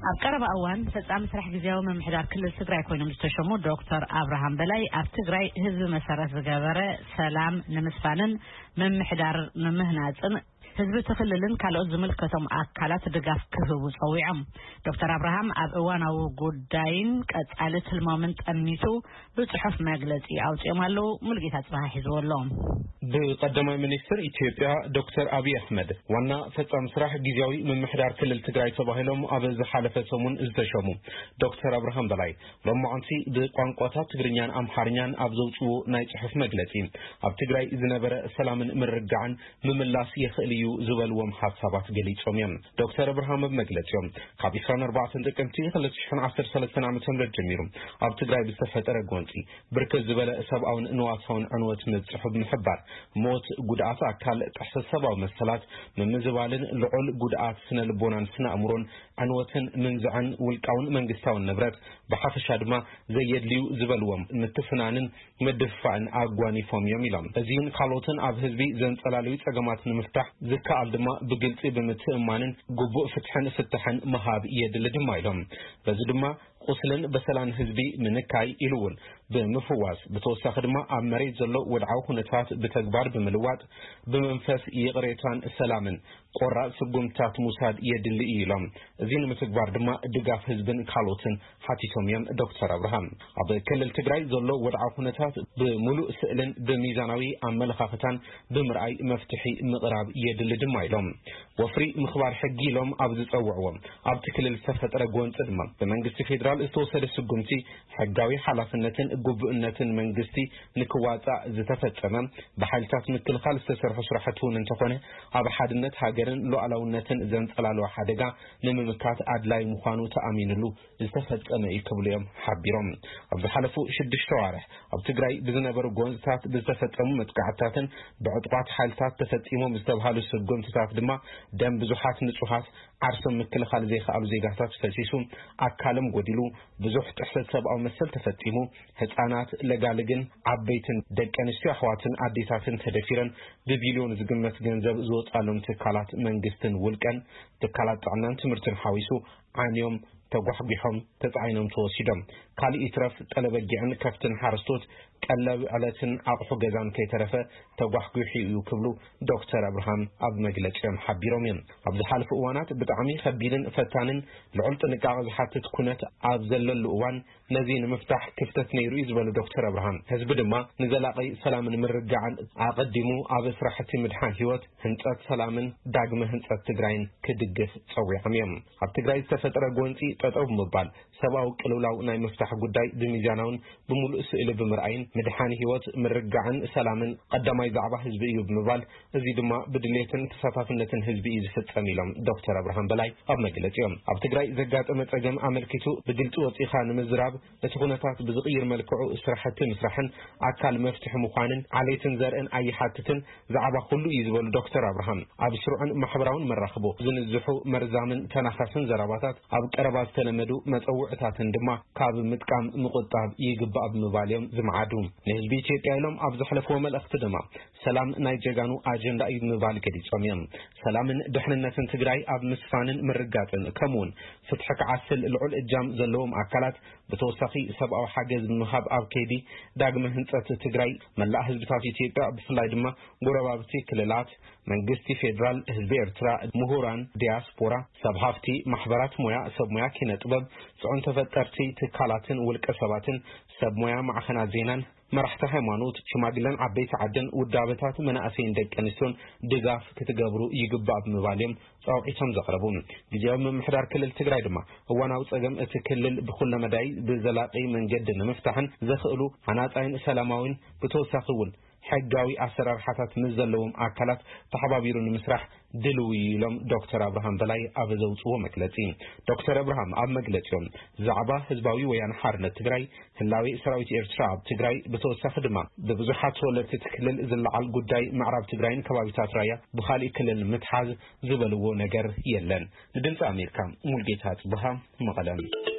ኣብ ቀረባ እዋን ፈጻሚ ስራሕ ግዝያዊ ምምሕዳር ክልል ትግራይ ኮይኖም ዝተሸሙ ዶክተር ኣብርሃም በላይ፣ ኣብ ትግራይ ህዝቢ መሰረት ዝገበረ ሰላም ንምስፋንን ምምሕዳር ምምህናጽን ህዝቢ እቲ ክልልን ካልኦት ዝምልከቶም ኣካላት ድጋፍ ክህቡ ጸዊዖም። ዶክተር ኣብርሃም ኣብ እዋናዊ ጉዳይን ቀጻሊ ትልሞምን ጠሚቱ ብጽሑፍ መግለጺ ኣውጺኦም ኣለዉ። ሙልጌታ ጽባህ ሒዝዎ ኣሎ። ብቀዳማይ ሚኒስትር ኢትዮጵያ ዶክተር ኣብይ ኣሕመድ ዋና ፈጻሚ ስራሕ ግዝያዊ ምምሕዳር ክልል ትግራይ ተባሂሎም ኣብ ዝሓለፈ ሰሙን ዝተሸሙ ዶክተር ኣብርሃም በላይ፣ ሎማዓንቲ ብቋንቋታት ትግርኛን ኣምሓርኛን ኣብ ዘውፅዎ ናይ ጽሑፍ መግለጺ፣ ኣብ ትግራይ ዝነበረ ሰላምን ምርግጋዕን ምምላስ የኽእል እዩ ዝበልዎም ሓሳባት ገሊጾም እዮም። ዶክተር ኣብርሃም ኣብ መግለጺኦም፣ ካብ ዕስራን ኣርባዕተን ጥቅምቲ ክልተ ሽሕን ዓሰርተ ሰለስተን ዓመተ ምህረት ጀሚሩ ኣብ ትግራይ ብዝተፈጠረ ጎንፂ ብርክት ዝበለ ሰብኣውን ንዋታውን ዕንወት ምብፅሑ ብምሕባር፣ ሞት፣ ጉድኣት ኣካል፣ ጥሕሰት ሰብኣዊ መሰላት፣ ምምዝባልን ልዑል ጉድኣት ስነ ልቦናን ስነ ኣእምሮን ዕንወትን ምንዝዐን ውልቃውን መንግስታውን ንብረት፣ ብሓፈሻ ድማ ዘየድልዩ ዝበልዎም ምትፍናንን ምድፍፋእን ኣጓኒፎም እዮም ኢሎም። እዚን ካልኦትን ኣብ ህዝቢ ዘንጸላልዩ ጸገማት ንምፍታሕ ዝከኣል ድማ ብግልጺ ብምትእማንን ግቡእ ፍትሕን ፍትሕን ምሃብ የድሊ ድማ ኢሎም። በዚ ድማ ቁስልን በሰላን ህዝቢ ምንካይ ኢሉ እውን ብምፍዋስ፣ ብተወሳኺ ድማ ኣብ መሬት ዘሎ ወድዓዊ ኩነታት ብተግባር ብምልዋጥ፣ ብመንፈስ ይቕሬታን ሰላምን ቆራፅ ስጉምትታት ምውሳድ የድሊ እዩ ኢሎም። እዚ ንምትግባር ድማ ድጋፍ ህዝብን ካልኦትን ሓቲቶም እዮም ዶክተር ኣብርሃም። ኣብ ክልል ትግራይ ዘሎ ወድዓዊ ኩነታት ብምሉእ ስእልን ብሚዛናዊ ኣመለኻኽታን ብምርኣይ መፍትሒ ምቕራብ የድሊ ድማ ኢሎም። ወፍሪ ምኽባር ሕጊ ኢሎም ኣብ ዝፀውዕዎ ኣብቲ ክልል ዝተፈጠረ ጎንፂ ድማ ብመንግስቲ ፌዴራል ዝተወሰደ ስጉምቲ ሕጋዊ ሓላፍነትን ግቡእነትን መንግስቲ ንክዋፃእ ዝተፈጸመ ብሓይልታት ምክልኻል ዝተሰርሑ ስራሕቲ እውን እንተኾነ ኣብ ሓድነት ሃገርን ሉዓላውነትን ዘንጸላለወ ሓደጋ ንምምካት ኣድላይ ምዃኑ ተኣሚንሉ ዝተፈጸመ እዩ ክብሉ እዮም ሓቢሮም። ኣብ ዝሓለፉ ሽዱሽተ ኣዋርሕ ኣብ ትግራይ ብዝነበሩ ጎንፅታት ብዝተፈጸሙ መጥቃዕትታትን ብዕጡቓት ሓይልታት ተፈጺሞም ዝተባሃሉ ስጉምትታት ድማ ደም ብዙሓት ንጹሃት ዓርሶም ምክልኻል ዘይከኣሉ ዜጋታት ፈሲሱ፣ ኣካሎም ጎዲሉ፣ ብዙሕ ጥሕሰት ሰብኣዊ መሰል ተፈጺሙ፣ ህጻናት፣ ለጋልግን ዓበይትን ደቂ ኣንስትዮ ኣሕዋትን ኣዴታትን ተደፊረን ብቢልዮን ዝግመት ገንዘብ ዝወጻሎም ትካላት መንግስትን ውልቀን፣ ትካላት ጥዕናን ትምህርትን ሓዊሱ ዓንዮም፣ ተጓሕጒሖም፣ ተጻዒኖም ተወሲዶም። ካልእ ይትረፍ ቀለበጊዕን ከፍትን ሓረስቶት ቀለብ ዕለትን ኣቑሑ ገዛን ከይተረፈ ተጓሕጒሑ እዩ ክብሉ ዶክተር ኣብርሃም ኣብ መግለጺኦም ሓቢሮም እዮም። ኣብ ዝሓለፉ እዋናት ብጣዕሚ ከቢድን ፈታንን ልዑል ጥንቃቐ ዝሓትት ኩነት ኣብ ዘለሉ እዋን ነዚ ንምፍታሕ ክፍተት ነይሩ እዩ ዝበሉ ዶክተር ኣብርሃም፣ ህዝቢ ድማ ንዘላቒ ሰላምን ምርግጋዕን ኣቐዲሙ ኣብ ስራሕቲ ምድሓን ህይወት፣ ህንጸት ሰላምን ዳግመ ህንጸት ትግራይን ክድግፍ ጸዊዖም እዮም። ኣብ ትግራይ ዝተፈጠረ ጎንፂ ጠጠው ብምባል ሰብኣዊ ቅልውላው ናይ ምፍታሕ ጉዳይ ብሚዛናውን ብምሉእ ስእሊ ብምርኣይን ምድሓን ህይወት፣ ምርግጋዕን ሰላምን ቀዳማይ ዛዕባ ህዝቢ እዩ ብምባል፣ እዚ ድማ ብድሌትን ተሳታፍነትን ህዝቢ እዩ ዝፍጸም ኢሎም ዶክተር ኣብርሃም በላይ ኣብ መግለጺኦም። ኣብ ትግራይ ዘጋጠመ ጸገም ኣመልኪቱ ብግልጺ ወጺኻ ንምዝራብ፣ እቲ ኩነታት ብዝቕይር መልክዑ ስራሕቲ ምስራሕን ኣካል መፍትሒ ምዃንን ዓሌትን ዘርእን ኣይሓትትን ዛዕባ ኩሉ እዩ ዝበሉ ዶክተር ኣብርሃም፣ ኣብ ስሩዕን ማሕበራውን መራኽቦ ዝንዝሑ መርዛምን ተናኻስን ዘረባታት ኣብ ቀረባ ዝተለመዱ መጸውዕታትን ድማ ካብ ምጥቃም ምቁጣብ ይግባእ ብምባል እዮም ዝመዓዱ። ንህዝቢ ኢትዮጵያ ኢሎም ኣብ ዘሕለፍዎ መልእኽቲ ድማ ሰላም ናይ ጀጋኑ ኣጀንዳ እዩ ብምባል ገሊጾም እዮም። ሰላምን ድሕንነትን ትግራይ ኣብ ምስፋንን ምርጋጽን ከምኡውን ፍትሒ ክዓስል ልዑል እጃም ዘለዎም ኣካላት ብተወሳኺ ሰብኣዊ ሓገዝ ብምሃብ ኣብ ከይዲ ዳግመ ህንጸት ትግራይ መላእ ህዝብታት ኢትዮጵያ ብፍላይ ድማ ጎረባብቲ ክልላት፣ መንግስቲ ፌዴራል፣ ህዝቢ ኤርትራ፣ ምሁራን፣ ዲያስፖራ፣ ሰብ ሃፍቲ፣ ማሕበራት ሞያ፣ ሰብ ሞያ ኪነ ጥበብ፣ ጽዑን ተፈጠርቲ ትካላትን ውልቀ ሰባትን፣ ሰብ ሞያ ማዕኸናት ዜናን፣ መራሕቲ ሃይማኖት፣ ሽማግለን ዓበይቲ ዓድን፣ ውዳበታት መናእሰይን ደቂ ኣንስትዮን ድጋፍ ክትገብሩ ይግባእ ብምባል እዮም ጻውዒቶም ዘቕረቡ። ግዝያዊ ምምሕዳር ክልል ትግራይ ድማ እዋናዊ ጸገም እቲ ክልል ብኩለ መዳይ ብዘላቒ መንገዲ ንምፍታሕን ዘኽእሉ ሃናጻይን ሰላማዊን ብተወሳኺ እውን ሕጋዊ ኣሰራርሓታት ምስ ዘለዎም ኣካላት ተሓባቢሩ ንምስራሕ ድልው እዩ ኢሎም ዶክተር ኣብርሃም በላይ ኣብ ዘውፅዎ መግለፂ። ዶክተር ኣብርሃም ኣብ መግለፂኦም ዛዕባ ህዝባዊ ወያነ ሓርነት ትግራይ፣ ህላዌ ሰራዊት ኤርትራ ኣብ ትግራይ፣ ብተወሳኺ ድማ ብብዙሓት ተወለድቲ እቲ ክልል ዝለዓል ጉዳይ ምዕራብ ትግራይን ከባቢታት ራያ ብኻሊእ ክልል ምትሓዝ ዝበልዎ ነገር የለን። ንድምፂ ኣሜሪካ ሙልጌታ ጽብሃ መቐለም።